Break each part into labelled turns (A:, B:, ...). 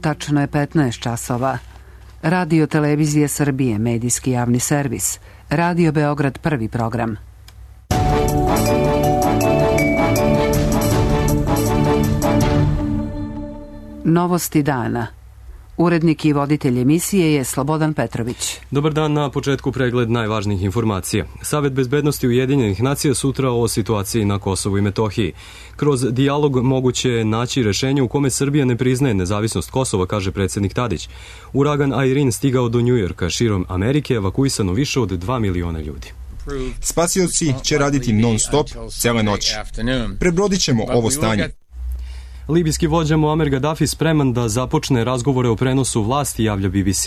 A: Tačno je 15 časova. Radio Televizije Srbije, medijski javni servis. Radio Beograd, prvi program. Novosti dana. Urednik i voditelj emisije je Slobodan Petrović.
B: Dobar dan, na početku pregled najvažnijih informacija. Savet bezbednosti Ujedinjenih nacija sutra o situaciji na Kosovu i Metohiji. Kroz dijalog moguće je naći rešenje u kome Srbija ne priznaje nezavisnost Kosova, kaže predsjednik Tadić. Uragan Irene stigao do Njujorka, širom Amerike evakuisano više od 2 miliona ljudi.
C: Spasioci će raditi non-stop cele noći. Prebrodit ćemo ovo stanje.
B: Libijski vođa Muamer Gaddafi spreman da započne razgovore o prenosu vlasti, javlja BBC.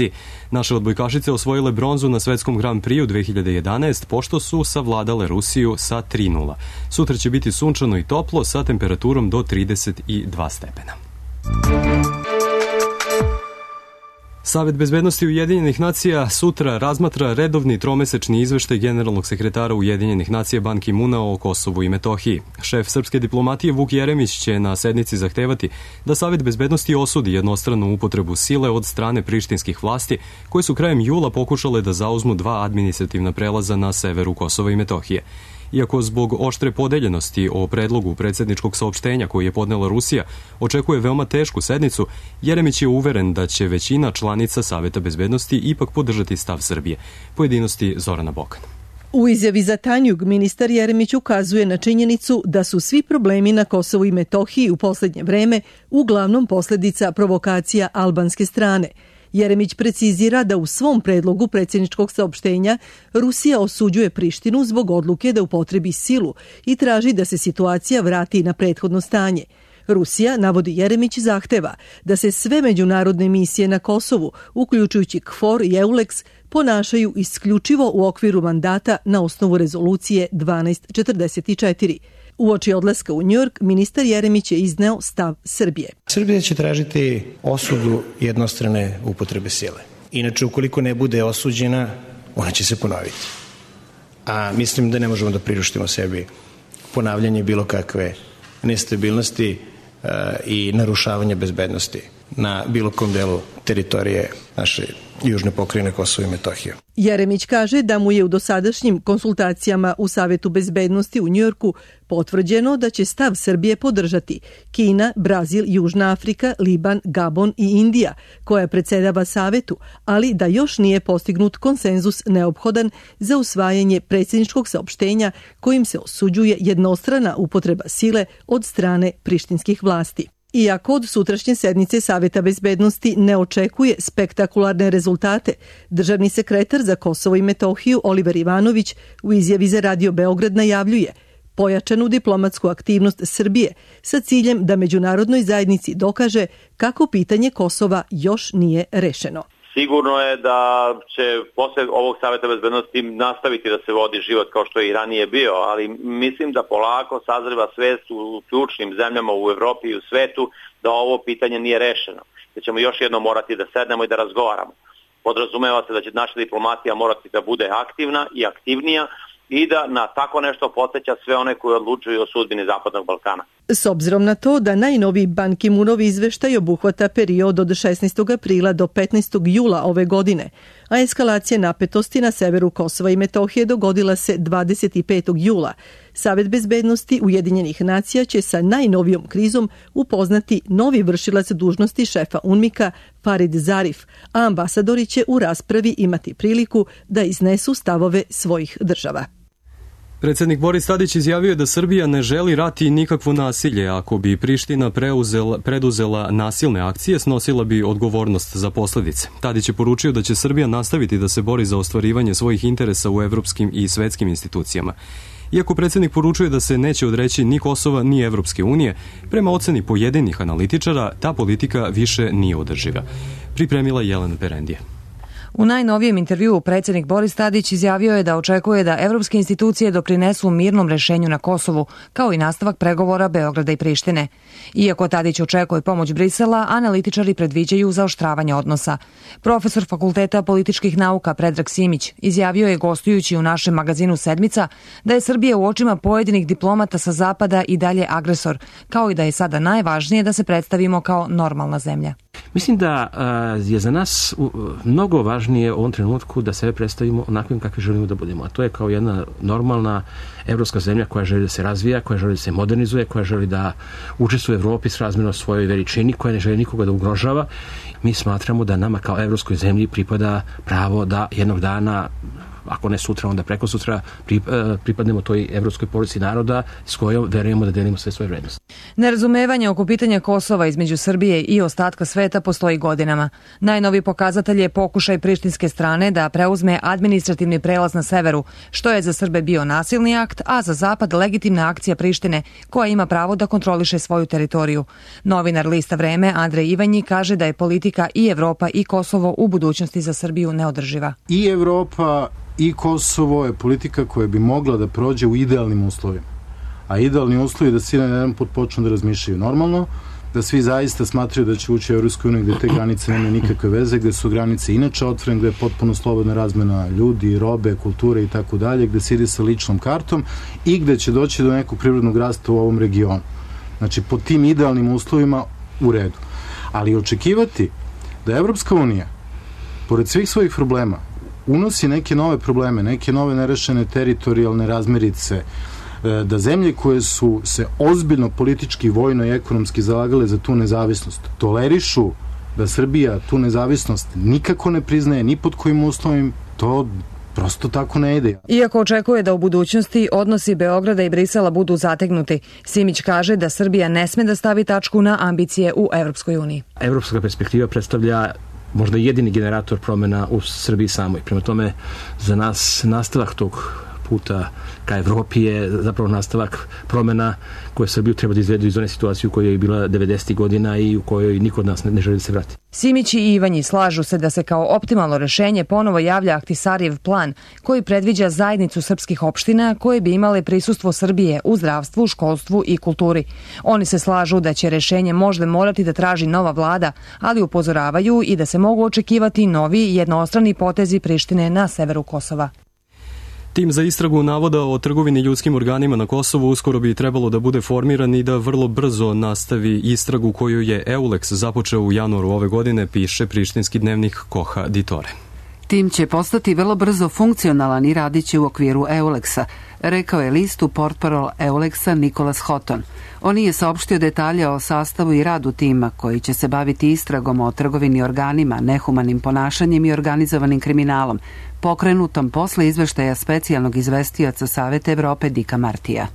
B: Naše odbojkašice osvojile bronzu na svetskom Grand Prixu 2011, pošto su savladale Rusiju sa 3:0. Sutra će biti sunčano i toplo sa temperaturom do 32 stepena. Savet bezbednosti Ujedinjenih nacija sutra razmatra redovni tromesečni izveštaj generalnog sekretara Ujedinjenih nacija Ban Ki-muna o Kosovu i Metohiji. Šef srpske diplomatije Vuk Jeremić će na sednici zahtevati da Savet bezbednosti osudi jednostranu upotrebu sile od strane prištinskih vlasti, koje su krajem jula pokušale da zauzmu 2 administrativna prelaza na severu Kosova i Metohije. Iako zbog oštre podeljenosti o predlogu predsjedničkog saopštenja koji je podnela Rusija očekuje veoma tešku sednicu, Jeremić je uveren da će većina članica Saveta bezbednosti ipak podržati stav Srbije. Pojedinosti Zorana Bokan.
D: U izjavi za Tanjug ministar Jeremić ukazuje na činjenicu da su svi problemi na Kosovu i Metohiji u posljednje vreme uglavnom posljedica provokacija albanske strane. Jeremić precizira da u svom predlogu predsjedničkog saopštenja Rusija osuđuje Prištinu zbog odluke da upotrebi silu i traži da se situacija vrati na prethodno stanje. Rusija, navodi Jeremić, zahteva da se sve međunarodne misije na Kosovu, uključujući KFOR i EULEX, ponašaju isključivo u okviru mandata na osnovu rezolucije 1244. Uoči odlaska u Njujork, ministar Jeremić je izneo stav Srbije.
E: Srbija će tražiti osudu jednostrane upotrebe sile. Inače, ukoliko ne bude osuđena, ona će se ponoviti. A mislim da ne možemo da priuštimo sebi ponavljanje bilo kakve nestabilnosti i narušavanja bezbednosti na bilo kom delu teritorije naše južne pokrajine Kosova i Metohije.
D: Jeremić kaže da mu je u dosadašnjim konsultacijama u Savetu bezbednosti u Njujorku potvrđeno da će stav Srbije podržati Kina, Brazil, Južna Afrika, Liban, Gabon i Indija, koja predsedava Savetu, ali da još nije postignut konsenzus neophodan za usvajanje predsjedničkog saopštenja kojim se osuđuje jednostrana upotreba sile od strane prištinskih vlasti. Iako od sutrašnje sednice Saveta bezbednosti ne očekuje spektakularne rezultate, državni sekretar za Kosovo i Metohiju Oliver Ivanović u izjavi za Radio Beograd najavljuje pojačanu diplomatsku aktivnost Srbije sa ciljem da međunarodnoj zajednici dokaže kako pitanje Kosova još nije rešeno.
F: Sigurno je da će posle ovog Saveta bezbednosti nastaviti da se vodi život kao što je i ranije bio, ali mislim da polako sazreva svest u ključnim zemljama u Evropi i u svetu da ovo pitanje nije rešeno. Da ćemo još jednom morati da sednemo i da razgovaramo. Podrazumeva se da će naša diplomatija morati da bude aktivna i aktivnija i da na tako nešto podsjeća sve one koji odlučuju o sudbini Zapadnog Balkana.
D: S obzirom na to da najnoviji Ban Ki-munov izveštaj obuhvata period od 16. aprila do 15. jula ove godine, a eskalacija napetosti na severu Kosova i Metohije dogodila se 25. jula. Savet bezbednosti Ujedinjenih nacija će sa najnovijom krizom upoznati novi vršilac dužnosti šefa UNMIK-a Farid Zarif, a ambasadori će u raspravi imati priliku da iznesu stavove svojih država.
B: Predsjednik Boris Tadić izjavio je da Srbija ne želi rat i nikakvo nasilje. Ako bi Priština preduzela nasilne akcije, snosila bi odgovornost za posljedice. Tadić je poručio da će Srbija nastaviti da se bori za ostvarivanje svojih interesa u evropskim i svetskim institucijama. Iako predsjednik poručuje da se neće odreći ni Kosova ni Evropske unije, prema oceni pojedinih analitičara, ta politika više nije održiva. Pripremila Jelena Perendija.
G: U najnovijem intervjuu predsjednik Boris Tadić izjavio je da očekuje da evropske institucije doprinesu mirnom rešenju na Kosovu, kao i nastavak pregovora Beograda i Prištine. Iako Tadić očekuje pomoć Brisela, analitičari predviđaju zaoštravanje odnosa. Profesor Fakulteta političkih nauka Predrag Simić izjavio je gostujući u našem magazinu Sedmica da je Srbija u očima pojedinih diplomata sa Zapada i dalje agresor, kao i da je sada najvažnije da se predstavimo kao normalna zemlja.
H: Mislim da je za nas mnogo važnije u ovom trenutku da sebe predstavimo onakvim kakvi želimo da budemo. A to je kao jedna normalna evropska zemlja koja želi da se razvija, koja želi da se modernizuje, koja želi da učestvuje u Evropi s razmjerno svojoj veličini, koja ne želi nikoga da ugrožava. Mi smatramo da nama kao evropskoj zemlji pripada pravo da jednog dana, ako ne sutra, onda preko sutra, pripadnemo toj evropskoj porodici naroda s kojom verujemo da delimo sve svoje vrednosti.
G: Nerazumevanje oko pitanja Kosova između Srbije i ostatka sveta postoji godinama. Najnoviji pokazatelj je pokušaj prištinske strane da preuzme administrativni prelaz na severu, što je za Srbe bio nasilni akt, a za Zapad legitimna akcija Prištine, koja ima pravo da kontroliše svoju teritoriju. Novinar lista Vreme Andrej Ivanji kaže da je politika i Evropa i Kosovo u budućnosti za Srbiju neodrživa.
I: I Evropa i Kosovo je politika koja bi mogla da prođe u idealnim uslovima. A idealni uslovi je da svi na jedan put počnu da razmišljaju normalno, da svi zaista smatraju da će ući u Evropsku uniju gde te granice nemaju nikakve veze, gde su granice inače otvorene, gde je potpuno slobodna razmena ljudi, robe, kulture i tako dalje, gde se ide sa ličnom kartom i gde će doći do nekog privrednog rasta u ovom regionu. Znači, po tim idealnim uslovima u redu. Ali očekivati da Evropska unija, pored svih svojih problema, unosi neke nove probleme, neke nove nerešene teritorijalne razmirice, da zemlje koje su se ozbiljno politički, vojno i ekonomski zalagale za tu nezavisnost, tolerišu da Srbija tu nezavisnost nikako ne priznaje, ni pod kojim uslovima, to prosto tako ne ide.
G: Iako očekuje da u budućnosti odnosi Beograda i Brisela budu zategnuti, Simić kaže da Srbija ne sme da stavi tačku na ambicije u Evropskoj uniji.
H: Evropska perspektiva predstavlja možda jedini generator promjena u Srbiji samoj. Prema tome, za nas nastavak tog puta ka Evropi je zapravo nastavak promjena koje Srbiju treba da izvedu iz one situacije u kojoj je bila 90. godina i u kojoj niko od nas ne želi da se vrati.
G: Simić i Ivanji slažu se da se kao optimalno rešenje ponovo javlja Ahtisarijev plan koji predviđa zajednicu srpskih opština koje bi imale prisustvo Srbije u zdravstvu, školstvu i kulturi. Oni se slažu da će rešenje možda morati da traži nova vlada, ali upozoravaju i da se mogu očekivati novi jednostrani potezi Prištine na severu Kosova.
B: Tim za istragu navoda o trgovini ljudskim organima na Kosovu uskoro bi trebalo da bude formiran i da vrlo brzo nastavi istragu koju je EULEX započeo u januaru ove godine, piše prištinski dnevnik Koha Ditore.
A: Tim će postati vrlo brzo funkcionalan i radit će u okviru EULEX-a, rekao je listu portparol EULEX-a Nikolas Hoton. On je saopštio detalje o sastavu i radu tima koji će se baviti istragom o trgovini organima, nehumanim ponašanjem i organizovanim kriminalom, pokrenutom posle izveštaja specijalnog izvestioca Saveta Evrope Dika Martija.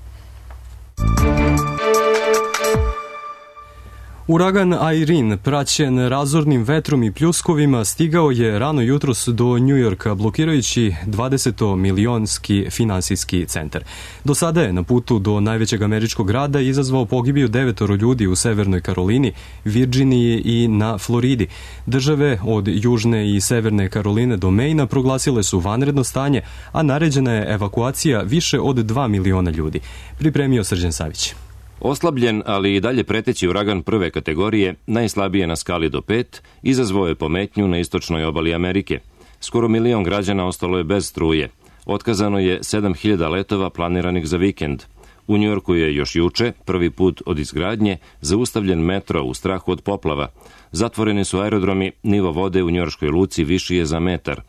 B: Uragan Irene, praćen razornim vetrom i pljuskovima, stigao je rano jutros do Njujorka, blokirajući 20-milionski finansijski centar. Do sada je na putu do najvećeg američkog grada izazvao pogibiju 9 ljudi u Severnoj Karolini, Virginiji i na Floridi. Države od Južne i Severne Karoline do Maina proglasile su vanredno stanje, a naređena je evakuacija više od 2 miliona ljudi. Pripremio Srđan Savić.
J: Oslabljen, ali i dalje preteći uragan prve kategorije, najslabije na skali do 5, izazvao je pometnju na istočnoj obali Amerike. Skoro 1 milion građana ostalo je bez struje. Otkazano je 7.000 letova planiranih za vikend. U Njujorku je još juče, prvi put od izgradnje, zaustavljen metro u strahu od poplava. Zatvoreni su aerodromi, nivo vode u njujorškoj luci viši je za metar.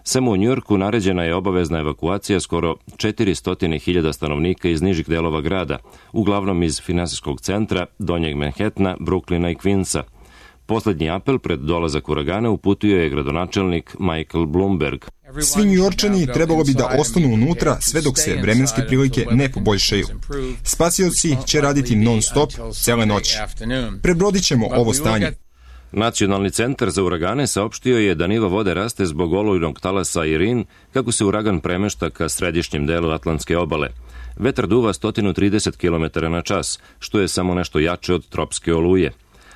J: Samo u Njujorku naređena je obavezna evakuacija skoro 400.000 stanovnika iz nižih delova grada, uglavnom iz finansijskog centra, Donjeg Manhattana, Brooklyna i Queensa. Poslednji apel pred dolazak uragana uputio je gradonačelnik Michael Bloomberg.
C: Svi Njujorčani trebalo bi da ostanu unutra sve dok se vremenske prilike ne poboljšaju. Spasioci će raditi non-stop cele noći. Prebrodit ćemo ovo stanje.
J: Nacionalni centar za uragane saopštio je da nivo vode raste zbog olujnog talasa Irene kako se uragan premešta ka središnjem delu Atlantske obale. Vetar duva 130 km na čas, što je samo nešto jače od tropske oluje.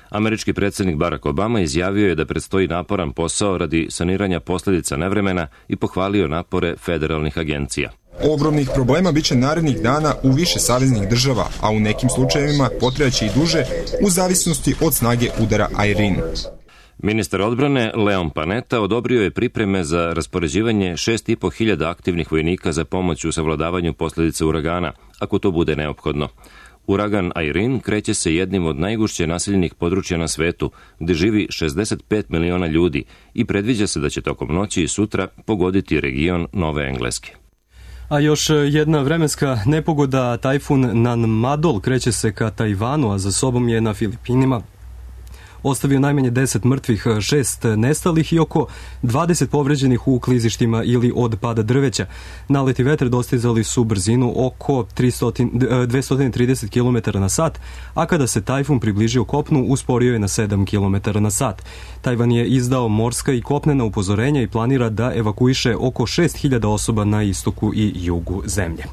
J: Američki predsjednik Barack Obama izjavio je da predstoji naporan posao radi saniranja posljedica nevremena i pohvalio napore federalnih agencija.
C: Ogromnih problema biće narednih dana u više saveznih država, a u nekim slučajevima potrebaće i duže u zavisnosti od snage udara Irene.
J: Ministar odbrane Leon Panetta odobrio je pripreme za raspoređivanje 6.500 aktivnih vojnika za pomoć u savladavanju posljedica uragana, ako to bude neophodno. Uragan Irene kreće se jednim od najgušće naseljenih područja na svetu, gde živi 65 miliona ljudi i predviđa se da će tokom noći i sutra pogoditi region Nove Engleske.
B: A još jedna vremenska nepogoda, tajfun Nanmadol kreće se ka Tajvanu, a za sobom je na Filipinima ostavio najmanje 10 mrtvih, 6 nestalih i oko 20 povređenih u klizištima ili od pada drveća. Naleti vetra dostizali su brzinu oko 230 km na sat, a kada se tajfun približio kopnu, usporio je na 7 km na sat. Tajvan je izdao morska i kopnena upozorenja i planira da evakuiše oko 6.000 osoba na istoku i jugu zemlje.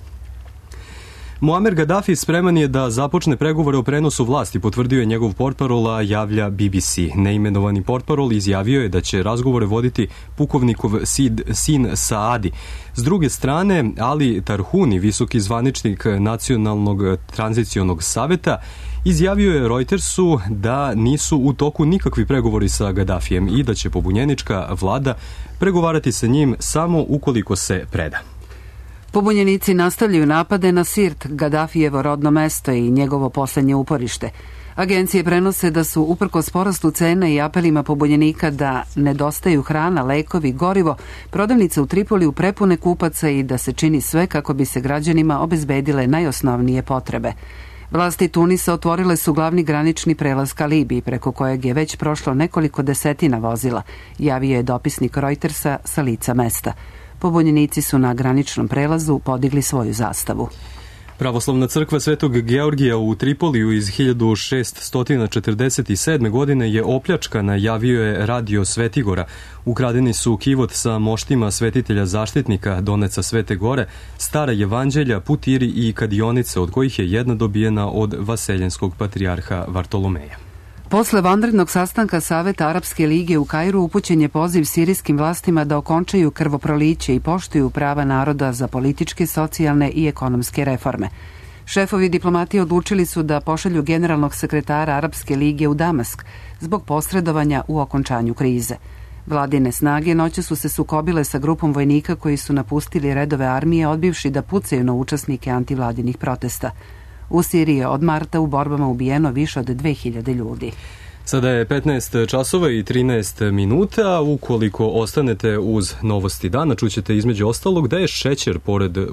B: Muamer Gaddafi spreman je da započne pregovore o prenosu vlasti, potvrdio je njegov portparol, a javlja BBC. Neimenovani portparol izjavio je da će razgovore voditi pukovnikov sin Saadi. S druge strane, Ali Tarhuni, visoki zvaničnik Nacionalnog tranzicionog saveta, izjavio je Reutersu da nisu u toku nikakvi pregovori sa Gaddafijem i da će pobunjenička vlada pregovarati sa njim samo ukoliko se preda.
A: Pobunjenici nastavljaju napade na Sirt, Gaddafijevo rodno mesto i njegovo poslednje uporište. Agencije prenose da su, uprkos porastu cena i apelima pobunjenika da nedostaju hrana, lekovi, gorivo, prodavnice u Tripoliju prepune kupaca i da se čini sve kako bi se građanima obezbedile najosnovnije potrebe. Vlasti Tunisa otvorile su glavni granični prelaz ka Libiji, preko kojeg je već prošlo nekoliko desetina vozila, javio je dopisnik Reutersa sa lica mesta. Pobunjenici su na graničnom prelazu podigli svoju zastavu.
B: Pravoslavna crkva Svetog Georgija u Tripoliju iz 1647. godine je opljačkana, javio je Radio Svetigora. Ukradeni su kivot sa moštima svetitelja zaštitnika, Doneca Svete Gore, stara evanđelja, putiri i kadionice, od kojih je jedna dobijena od vaseljenskog patrijarha Vartolomeja.
A: Posle vanrednog sastanka Saveta Arapske lige u Kairu upućen je poziv sirijskim vlastima da okončaju krvoproliće i poštuju prava naroda za političke, socijalne i ekonomske reforme. Šefovi diplomatije odlučili su da pošalju generalnog sekretara Arapske lige u Damask zbog posredovanja u okončanju krize. Vladine snage noće su se sukobile sa grupom vojnika koji su napustili redove armije, odbivši da pucaju na učesnike antivladinih protesta. U Siriji je od marta u borbama ubijeno više od 2000 ljudi.
B: Sada je 15 časova i 13 minuta. Ukoliko ostanete uz novosti dana, čućete između ostalog da je šećer,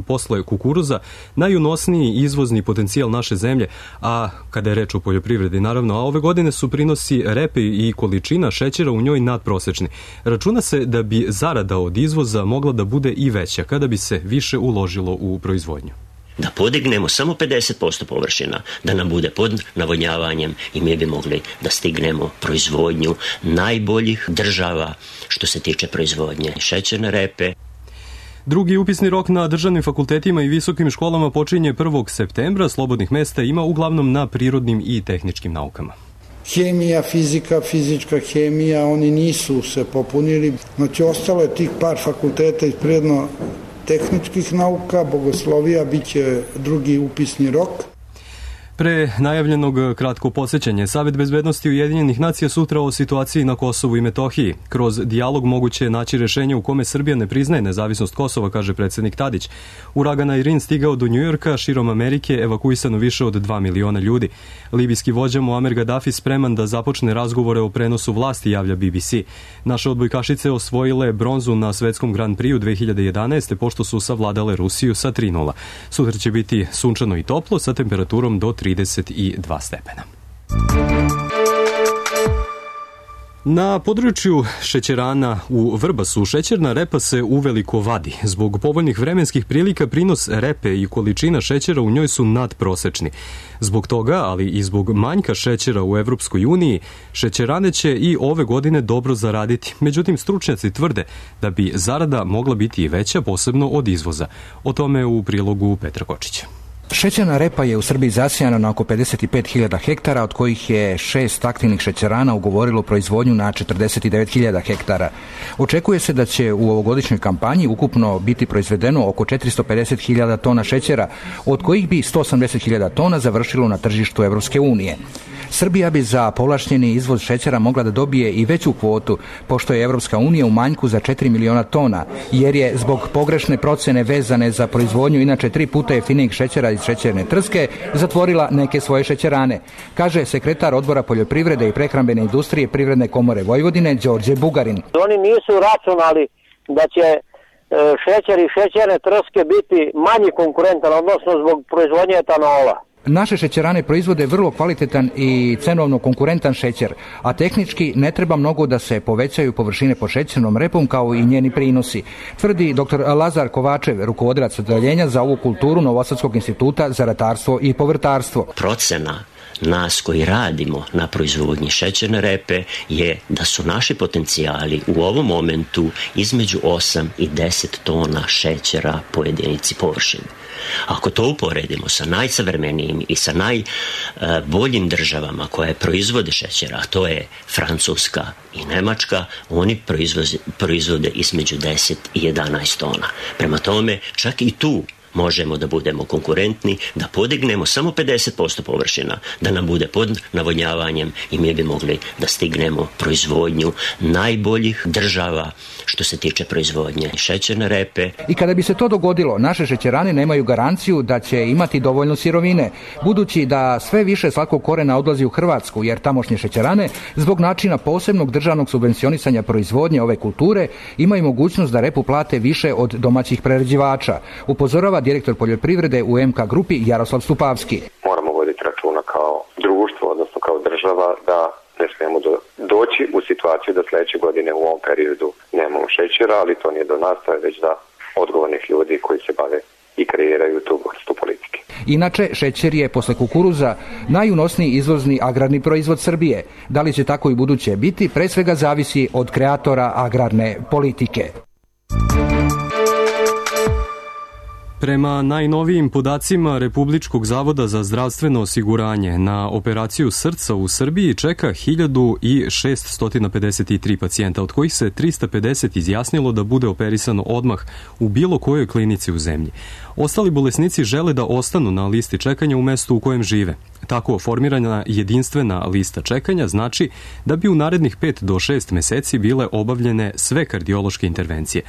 B: posle kukuruza, najunosniji izvozni potencijal naše zemlje, a kada je reč o poljoprivredi, naravno, a ove godine su prinosi repe i količina šećera u njoj nadprosečni. Računa se da bi zarada od izvoza mogla da bude i veća kada bi se više uložilo u proizvodnju.
K: Da podignemo samo 50% površina, da nam bude pod navodnjavanjem i mi bi mogli da stignemo proizvodnju najboljih država što se tiče proizvodnje šećerne repe.
B: Drugi upisni rok na državnim fakultetima i visokim školama počinje 1. septembra. Slobodnih mesta ima uglavnom na prirodnim i tehničkim naukama.
L: Hemija, fizika, fizička hemija, oni nisu se popunili. Znači, ostalo je tih par fakulteta iz prirodno-tehničkih nauka, bogoslovija, bit će drugi upisni rok.
B: Pre najavljenog kratko podsjećanje, Savet bezbednosti Ujedinjenih nacija sutra o situaciji na Kosovu i Metohiji. Kroz dijalog moguće je naći rešenje u kome Srbija ne priznaje nezavisnost Kosova, kaže predsednik Tadić. Uragan Irene stigao do Njujorka, širom Amerike evakuisano više od 2 miliona ljudi. Libijski vođa Muamer Gaddafi spreman da započne razgovore o prenosu vlasti, javlja BBC. Naše odbojkašice osvojile bronzu na svetskom Grand Prixu 2011. pošto su savladale Rusiju sa 3:0. Sutra će biti sunčano i toplo sa temperaturom do 32 stepena. Na području šećerana u Vrbasu šećerna repa se uveliko vadi. Zbog povoljnih vremenskih prilika prinos repe i količina šećera u njoj su nadprosečni. Zbog toga, ali i zbog manjka šećera u Evropskoj uniji, šećerane će i ove godine dobro zaraditi. Međutim, stručnjaci tvrde da bi zarada mogla biti i veća, posebno od izvoza. O tome u prilogu Petra Kočića.
M: Šećerna repa je u Srbiji zasijana na oko 55.000 hektara, od kojih je 6 aktivnih šećerana ugovorilo proizvodnju na 49.000 hektara. Očekuje se da će u ovogodišnjoj kampanji ukupno biti proizvedeno oko 450.000 tona šećera, od kojih bi 180.000 tona završilo na tržištu Evropske unije. Srbija bi za povlašćeni izvoz šećera mogla da dobije i veću kvotu, pošto je Evropska unija u manjku za 4 miliona tona, jer je zbog pogrešne procene vezane za proizvodnju inače 3 puta jeftinijeg šećera iz iz šećerne trske zatvorila neke svoje šećerane, kaže sekretar odbora poljoprivrede i prehrambene industrije Privredne komore Vojvodine Đorđe Bugarin.
N: Oni nisu računali da će šećer i šećerne trske biti manji konkurentan, odnosno zbog proizvodnje etanola.
M: Naše šećerane proizvode vrlo kvalitetan i cenovno konkurentan šećer, a tehnički ne treba mnogo da se povećaju površine pod šećernom repom kao i njeni prinosi, tvrdi dr. Lazar Kovačev, rukovodilac odeljenja za ovu kulturu Novosadskog instituta za ratarstvo i povrtarstvo.
K: Procena nas koji radimo na proizvodnji šećerne repe je da su naši potencijali u ovom momentu između 8 i 10 tona šećera po jedinici površine. Ako to uporedimo sa najsavremenijim i sa najboljim državama koje proizvode šećera, a to je Francuska i Nemačka, oni proizvode između 10 i 11 tona. Prema tome, čak i tu možemo da budemo konkurentni, da podignemo samo 50% površina, da nam bude pod navodnjavanjem i mi bi mogli da stignemo proizvodnju najboljih država što se tiče proizvodnje šećerne repe.
M: I kada bi se to dogodilo, naše šećerane nemaju garanciju da će imati dovoljno sirovine, budući da sve više slatskog korena odlazi u Hrvatsku, jer tamošnje šećerane, zbog načina posebnog državnog subvencionisanja proizvodnje ove kulture, imaju mogućnost da repu plate više od domaćih prerađivača, upozorava direktor poljoprivrede u MK grupi Jaroslav Stupavski.
O: Moramo voditi računa kao društvo, odnosno kao država, da ne smijemo doći u situaciju da sljedeće godine u ovom periodu nemamo šećera, ali to nije do nas, to je već da odgovornih ljudi koji se bave i kreiraju tu vrstu politike.
M: Inače, šećer je posle kukuruza najunosniji izvozni agrarni proizvod Srbije. Da li će tako i buduće biti, pre svega zavisi od kreatora agrarne politike.
B: Prema najnovijim podacima Republičkog zavoda za zdravstveno osiguranje, na operaciju srca u Srbiji čeka 1653 pacijenta, od kojih se 350 izjasnilo da bude operisano odmah u bilo kojoj klinici u zemlji. Ostali bolesnici žele da ostanu na listi čekanja u mestu u kojem žive. Tako formirana jedinstvena lista čekanja znači da bi u narednih 5 do 6 meseci bile obavljene sve kardiološke intervencije.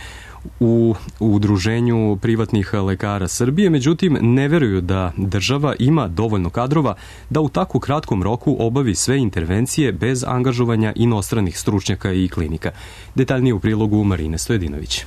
B: U Udruženju privatnih lekara Srbije, međutim, ne veruju da država ima dovoljno kadrova da u tako kratkom roku obavi sve intervencije bez angažovanja inostranih stručnjaka i klinika. Detaljnije u prilogu Marine Stojedinović.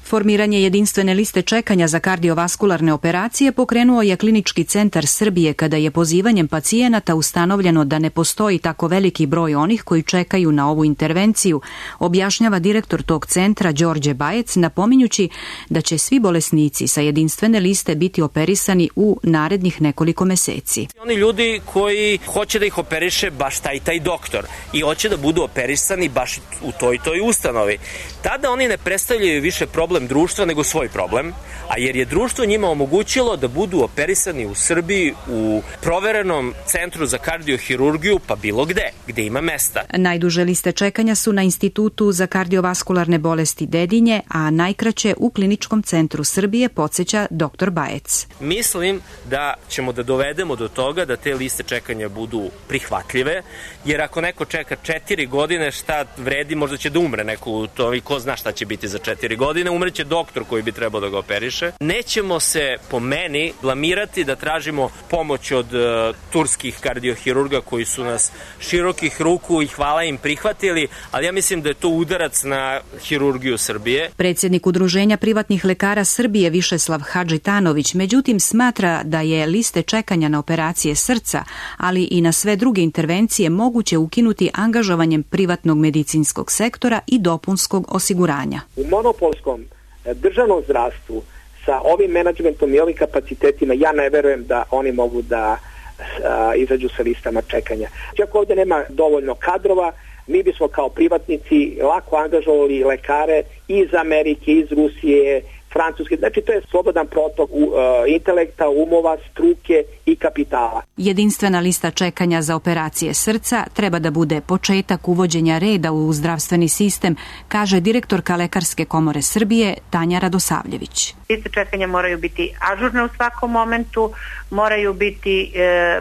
P: Formiranje jedinstvene liste čekanja za kardiovaskularne operacije pokrenuo je Klinički centar Srbije kada je pozivanjem pacijenata ustanovljeno da ne postoji tako veliki broj onih koji čekaju na ovu intervenciju, objašnjava direktor tog centra Đorđe Bajec, napominjući da će svi bolesnici sa jedinstvene liste biti operisani u narednih nekoliko meseci.
Q: Oni ljudi koji hoće da ih operiše baš taj doktor i hoće da budu operisani baš u toj ustanovi, tada oni ne predstavljaju više problem društva nego svoj problem, a jer je društvo njima omogućilo da budu operisani u Srbiji u proverenom centru za kardiohirurgiju, pa bilo gde ima mesta.
P: Najduže liste čekanja su na Institutu za kardiovaskularne bolesti Dedinje, a najkraće u Kliničkom centru Srbije, podsjeća dr. Bajec.
Q: Mislim da ćemo da dovedemo do toga da te liste čekanja budu prihvatljive, jer ako neko čeka 4 godine, šta vredi, možda će da umre neko u to i ko zna šta će biti za 4 godine, umreće doktor koji bi trebao da ga operiše. Nećemo se, po meni, blamirati da tražimo pomoć od turskih kardiohirurga koji su nas širokih ruku i hvala im prihvatili, ali ja mislim da je to udarac na hirurgiju Srbije.
P: Predsjednik Udruženja privatnih lekara Srbije Višeslav Hadžitanović, međutim, smatra da je liste čekanja na operacije srca, ali i na sve druge intervencije moguće ukinuti angažovanjem privatnog medicinskog sektora i dopunskog osiguranja.
R: U monopolskom državnom zdravstvu sa ovim menadžmentom i ovim kapacitetima ja ne verujem da oni mogu da izađu sa listama čekanja. Ako ovdje nema dovoljno kadrova, mi bismo kao privatnici lako angažovali lekare iz Amerike, iz Rusije, Francuske. Znači to je slobodan protok intelekta, umova, struke i kapitala.
P: Jedinstvena lista čekanja za operacije srca treba da bude početak uvođenja reda u zdravstveni sistem, kaže direktorka Lekarske komore Srbije Tanja Radosavljević.
S: Liste čekanja moraju biti ažurne u svakom momentu, moraju biti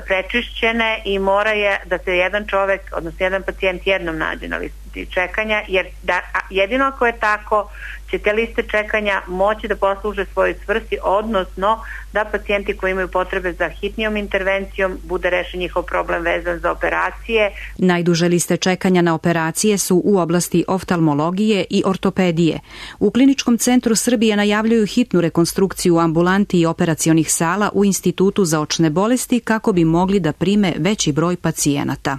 S: prečišćene i mora je da se jedan čovek, odnosno jedan pacijent jednom nađe na listi listi čekanja, jer jedino ako je tako će te liste čekanja moći da posluže svojoj svrsi, odnosno da pacijenti koji imaju potrebe za hitnijom intervencijom bude rešen njihov problem vezan za operacije.
P: Najduže liste čekanja na operacije su u oblasti oftalmologije i ortopedije. U Kliničkom centru Srbije najavljuju hitnu rekonstrukciju ambulanti i operacionih sala u Institutu za očne bolesti kako bi mogli da prime veći broj pacijenata.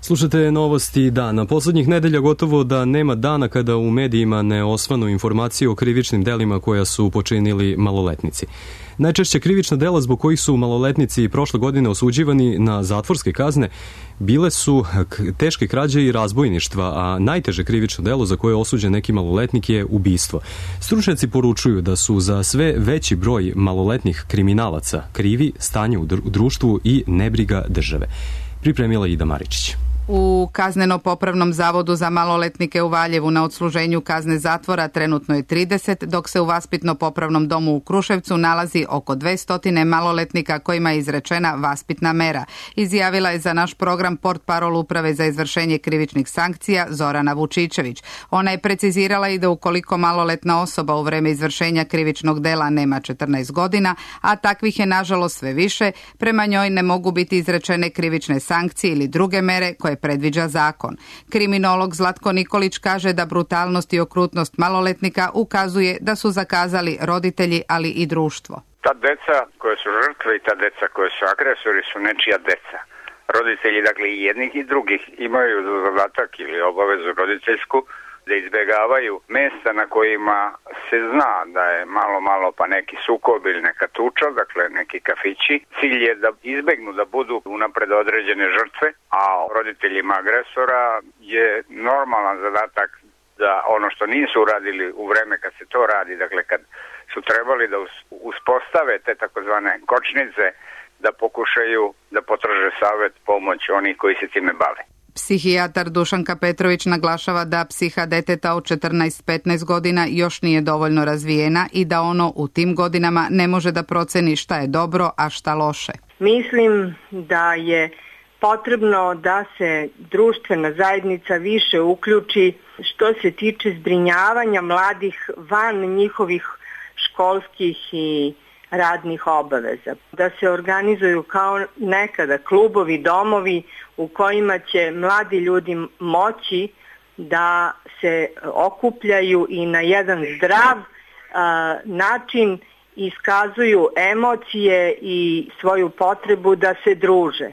B: Slušate novosti dana. Poslednjih nedelja gotovo da nema dana kada u medijima ne osvanu informacije o krivičnim delima koja su počinili maloletnici. Najčešće krivična dela zbog kojih su maloletnici prošle godine osuđivani na zatvorske kazne bile su teške krađe i razbojništva, a najteže krivično delo za koje je osuđen neki maloletnik je ubistvo. Stručnjaci poručuju da su za sve veći broj maloletnih kriminalaca krivi stanje u društvu i nebriga države. Pripremila Ida Maričić.
T: U Kazneno-popravnom zavodu za maloletnike u Valjevu na odsluženju kazne zatvora trenutno je 30, dok se u Vaspitno-popravnom domu u Kruševcu nalazi oko 200 maloletnika kojima je izrečena vaspitna mera. Izjavila je za naš program portparol Uprave za izvršenje krivičnih sankcija Zorana Vučičević. Ona je precizirala i da ukoliko maloletna osoba u vreme izvršenja krivičnog dela nema 14 godina, a takvih je nažalost sve više, prema njoj ne mogu biti izrečene krivične sankcije ili druge mere koje predviđa zakon. Kriminolog Zlatko Nikolić kaže da brutalnost i okrutnost maloletnika ukazuje da su zakazali roditelji, ali i društvo.
U: Ta deca koje su žrtve i ta deca koje su agresori su nečija deca. Roditelji, dakle i jednih i drugih, imaju zadatak ili obavezu roditeljsku da izbjegavaju mesta na kojima se zna da je malo pa neki sukob ili neka tuča, dakle neki kafići. Cilj je da izbegnu da budu unapred određene žrtve, a roditeljima agresora je normalan zadatak da ono što nisu uradili u vreme kad se to radi, dakle kad su trebali da uspostave te takozvane kočnice, da pokušaju da potraže savet, pomoć onih koji se time bave.
T: Psihijatar Dušanka Petrović naglašava da psiha deteta od 14-15 godina još nije dovoljno razvijena i da ono u tim godinama ne može da proceni šta je dobro, a šta loše.
S: Mislim da je potrebno da se društvena zajednica više uključi što se tiče zbrinjavanja mladih van njihovih školskih i radnih obaveza. Da se organizuju kao nekada klubovi, domovi u kojima će mladi ljudi moći da se okupljaju i na jedan zdrav način iskazuju emocije i svoju potrebu da se druže.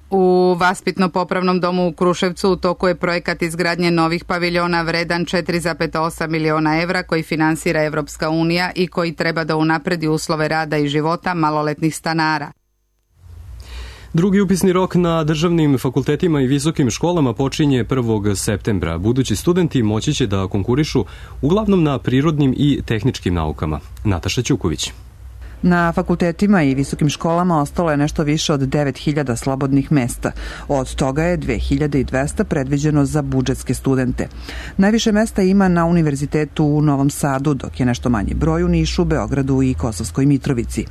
T: U Vaspitno-popravnom domu u Kruševcu u toku je projekat izgradnje novih paviljona vredan 4,8 miliona evra koji finansira Evropska unija i koji treba da unapredi uslove rada i života maloletnih stanara.
B: Drugi upisni rok na državnim fakultetima i visokim školama počinje 1. septembra. Budući studenti moći će da konkurišu uglavnom na prirodnim i tehničkim naukama. Nataša Ćuković.
V: Na fakultetima i visokim školama ostalo je nešto više od 9.000 slobodnih mesta. Od toga je 2.200 predviđeno za budžetske studente. Najviše mesta ima na Univerzitetu u Novom Sadu, dok je nešto manji broj u Nišu, Beogradu i Kosovskoj Mitrovici.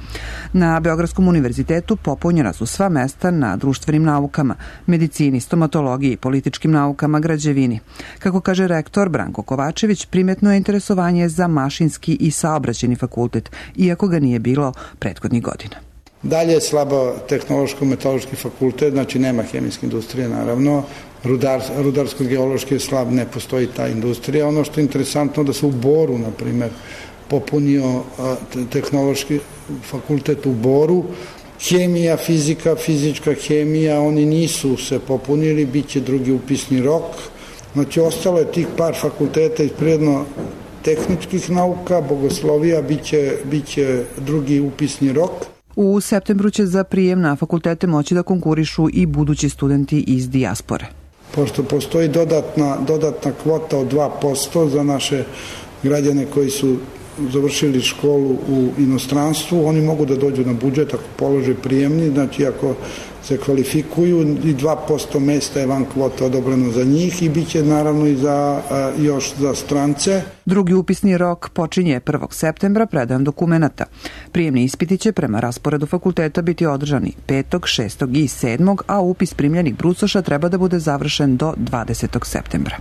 V: Na Beogradskom univerzitetu popunjena su sva mesta na društvenim naukama, medicini, stomatologiji, političkim naukama, građevini. Kako kaže rektor Branko Kovačević, primetno je interesovanje za mašinski i saobraćajni fakultet, iako ga nije bilo prethodnih godina.
L: Dalje je slabo tehnološko-metaloški fakultet, znači nema hemijske industrije naravno, rudarsko-geološki je slab, ne postoji ta industrija. Ono što je interesantno da se u Boru, na primer, popunio tehnološki fakultet u Boru, hemija, fizika, fizička hemija, oni nisu se popunili, bit će drugi upisni rok. Znači, ostalo je tih par fakulteta iz prirodno tehničkih nauka, bogoslovija, bit će drugi upisni rok.
V: U septembru će za prijem na fakultete moći da konkurišu i budući studenti iz dijaspore.
L: Pošto postoji dodatna kvota od 2% za naše građane koji su završili školu u inostranstvu, oni mogu da dođu na budžet ako polože prijemni, znači ako se kvalifikuju i 2% mesta je van kvota odobreno za njih i bit će naravno i još za strance.
V: Drugi upisni rok počinje 1. septembra predajom dokumenata. Prijemni ispiti će prema rasporedu fakulteta biti održani 5., 6. i 7., a upis primljenih brucoša treba da bude završen do 20. septembra.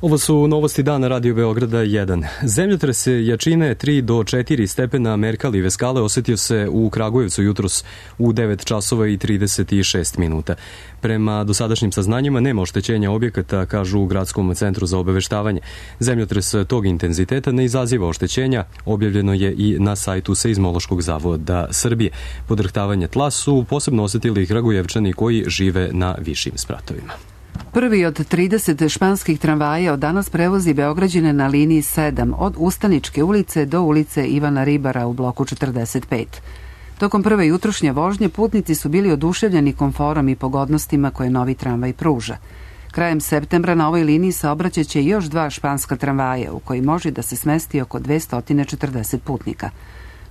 B: Ovo su novosti dana Radio Beograda 1. Zemljotres jačine 3 do 4 stepena Merkalove skale osetio se u Kragujevcu jutros u 9 časova i 36 minuta. Prema dosadašnjim saznanjima nema oštećenja objekata, kažu u Gradskom centru za obaveštavanje. Zemljotres tog intenziteta ne izaziva oštećenja, objavljeno je i na sajtu Seizmološkog zavoda Srbije. Podrhtavanje tla su posebno osetili Kragujevčani koji žive na višim spratovima.
A: Prvi od 30 španskih tramvaja od danas prevozi Beograđane na liniji 7 od Ustaničke ulice do ulice Ivana Ribara u bloku 45. Tokom prve jutrošnje vožnje putnici su bili oduševljeni komforom i pogodnostima koje novi tramvaj pruža. Krajem septembra na ovoj liniji saobraćaće još 2 španska tramvaja u koji može da se smesti oko 240 putnika.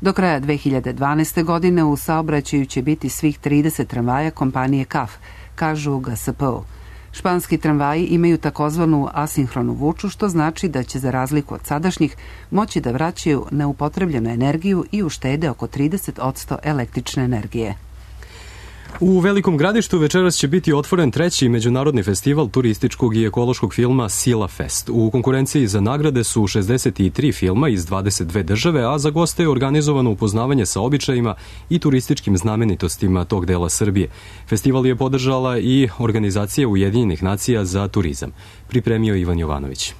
A: Do kraja 2012. godine u saobraćaju će biti svih 30 tramvaja kompanije CAF, kažu u GSP-u. Španski tramvaji imaju takozvanu asinhronu vuču, što znači da će za razliku od sadašnjih moći da vraćaju neupotrebljenu energiju i uštede oko 30% električne energije.
B: U Velikom Gradištu večeras će biti otvoren 3. međunarodni festival turističkog i ekološkog filma Sila Fest. U konkurenciji za nagrade su 63 filma iz 22 države, a za goste je organizovano upoznavanje sa običajima i turističkim znamenitostima tog dela Srbije. Festival je podržala i organizacija Ujedinjenih nacija za turizam. Pripremio Ivan Jovanović.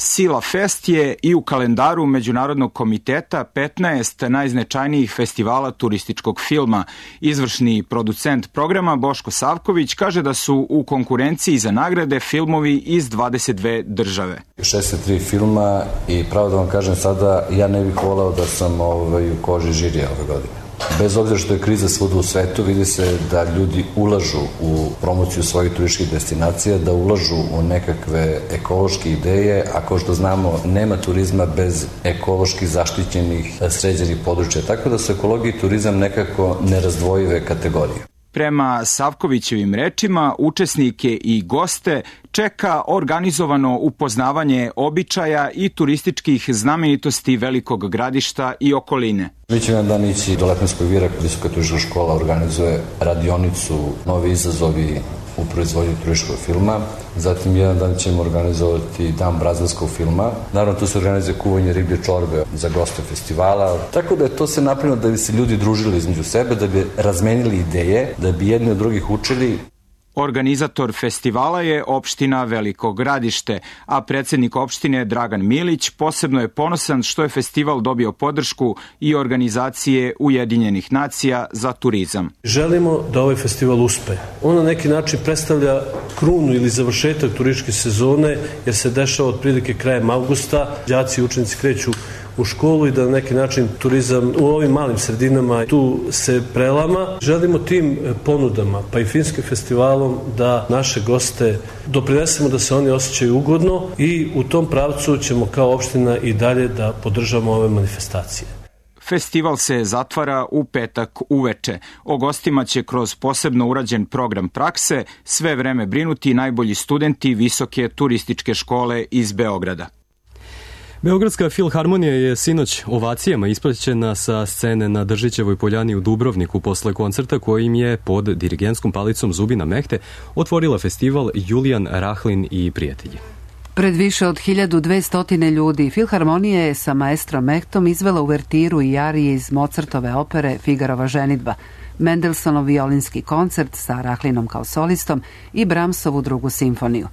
E: Sila Fest je i u kalendaru Međunarodnog komiteta 15 najznačajnijih festivala turističkog filma. Izvršni producent programa Boško Savković kaže da su u konkurenciji za nagrade filmovi iz 22 države.
F: 63 filma i pravo da vam kažem sada, ja ne bih volao da sam u koži žirija ove godine. Bez obzira što je kriza svuda u svetu, vidi se da ljudi ulažu u promociju svojih turističkih destinacija, da ulažu u nekakve ekološke ideje, a kao što znamo, nema turizma bez ekološki zaštićenih sređenih područja, tako da su ekologija i turizam nekako nerazdvojive kategorije.
E: Prema Savkovićevim rečima, učesnike i goste čeka organizovano upoznavanje običaja i turističkih znamenitosti Velikog Gradišta i okoline.
F: Mi ćemo jedan dan ići do Lepenskog vira, Visoka turistička škola organizuje radionicu Novi izazovi u proizvodnju turističkog filma. Zatim jedan dan ćemo organizovati dan brazilskog filma. Naravno, tu se organizuje kuvanje riblje čorbe za goste festivala. Tako da je to se napravilo da bi se ljudi družili između sebe, da bi razmenili ideje, da bi jedni od drugih učili.
E: Organizator festivala je opština Veliko Gradište, a predsednik opštine Dragan Milić posebno je ponosan što je festival dobio podršku i organizacije Ujedinjenih nacija za turizam.
W: Želimo da ovaj festival uspe. On na neki način predstavlja krunu ili završetak turističke sezone, jer se dešava otprilike krajem avgusta. Đaci i učenici kreću u školu i da na neki način turizam u ovim malim sredinama tu se prelama. Želimo tim ponudama, pa i filmskim festivalom, da naše goste doprinesemo da se oni osjećaju ugodno i u tom pravcu ćemo kao opština i dalje da podržamo ove manifestacije.
E: Festival se zatvara u petak uveče. O gostima će kroz posebno urađen program prakse sve vreme brinuti najbolji studenti Visoke turističke škole iz Beograda.
B: Beogradska filharmonija je sinoć ovacijama ispraćena sa scene na Držićevoj poljani u Dubrovniku posle koncerta kojim je pod dirigentskom palicom Zubina Mehte otvorila festival Julijan Rahlin i prijatelji.
A: Pred više od 1200 ljudi filharmonija je sa maestrom Mehtom izvela uvertiru i arije iz Mozartove opere Figarova ženidba, Mendelssohnov violinski koncert sa Rahlinom kao solistom i Brahmsovu drugu simfoniju.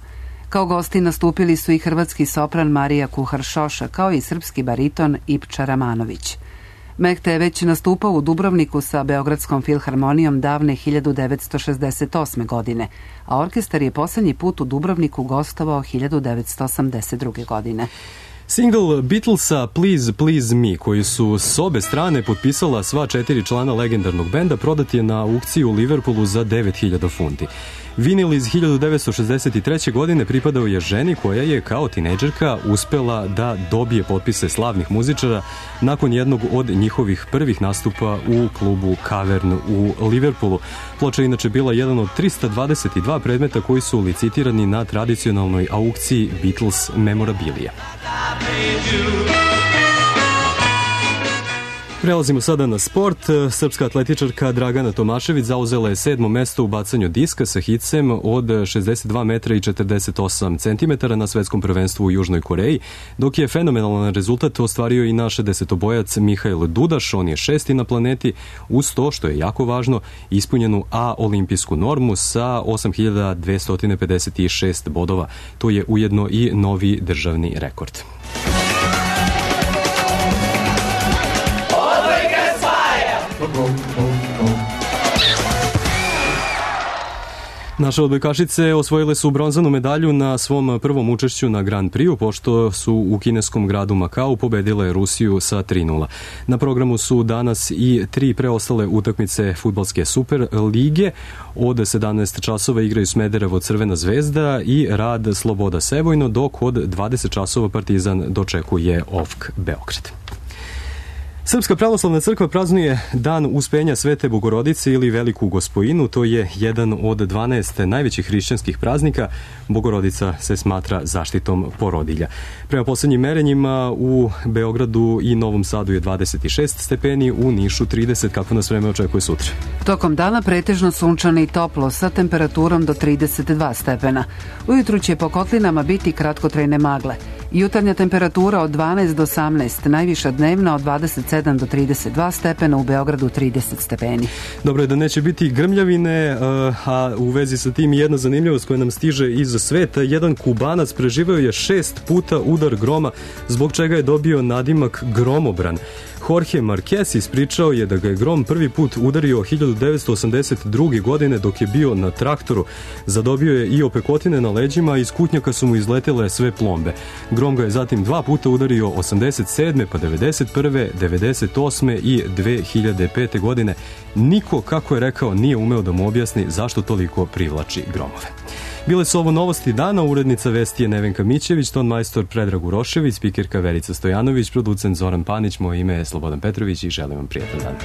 A: Kao gosti nastupili su i hrvatski sopran Marija Kuhar-Šoša, kao i srpski bariton Ipča Ramanović. Mehte je već nastupao u Dubrovniku sa Beogradskom filharmonijom davne 1968. godine, a orkestar je poslednji put u Dubrovniku gostovao 1982. godine.
B: Single Beatlesa Please Please Me, koji su s obe strane potpisala sva 4 člana legendarnog benda, prodat je na aukciji u Liverpoolu za 9.000 funti. Vinil iz 1963. godine pripadao je ženi koja je kao tinejdžerka uspela da dobije potpise slavnih muzičara nakon jednog od njihovih prvih nastupa u klubu Cavern u Liverpoolu. Ploča je inače bila jedan od 322 predmeta koji su licitirani na tradicionalnoj aukciji Beatles memorabilije. Prelazimo sada na sport. Srpska atletičarka Dragana Tomašević zauzela je 7. mesto u bacanju diska sa hicem od 62 metra i 48 centimetara na svetskom prvenstvu u Južnoj Koreji, dok je fenomenalan rezultat ostvario i naš desetobojac Mihail Dudaš. On je 6. na planeti uz to, što je jako važno, ispunjenu A olimpijsku normu sa 8256 bodova. To je ujedno i novi državni rekord. Naše odbojkašice osvojile su bronzanu medalju na svom prvom učešću na Grand Prixu, pošto su u kineskom gradu Makao pobedile Rusiju sa 3:0. Na programu su danas i 3 preostale utakmice fudbalske Super lige. Od 17 časova igraju Smederevo Crvena zvezda i Rad Sloboda Sevojno, dok od 20 časova Partizan dočekuje OFK Beograd. Srpska pravoslavna crkva praznuje Dan uspenja Svete Bogorodice ili Veliku Gospojinu. To je jedan od 12 najvećih hrišćanskih praznika. Bogorodica se smatra zaštitom porodilja. Prema poslednjim merenjima u Beogradu i Novom Sadu je 26 stepeni, u Nišu 30. Kako nas vreme očekuje sutra?
A: Tokom dana pretežno sunčano i toplo sa temperaturom do 32 stepena. Ujutru će po kotlinama biti kratkotrajne magle. Jutarnja temperatura od 12 do 18, najviša dnevna od 27 do 32 stepena, u Beogradu 30 stepeni.
B: Dobro je da neće biti grmljavine, a u vezi sa tim jedna zanimljivost koja nam stiže iz sveta. Jedan Kubanac preživeo je 6 puta udar groma, zbog čega je dobio nadimak gromobran. Jorge Marquez ispričao je da ga je grom prvi put udario 1982. godine dok je bio na traktoru. Zadobio je i opekotine na leđima, a iz kutnjaka su mu izletele sve plombe. Grom ga je zatim 2 puta udario 87. pa 91. 98. i 2005. godine. Niko, kako je rekao, nije umeo da mu objasni zašto toliko privlači gromove. Bile su ovo novosti dana, urednica vesti je Nevenka Mićević, ton majstor Predrag Urošević, spikerka Verica Stojanović, producent Zoran Panić, moje ime je Slobodan Petrović i želim vam prijatan dan.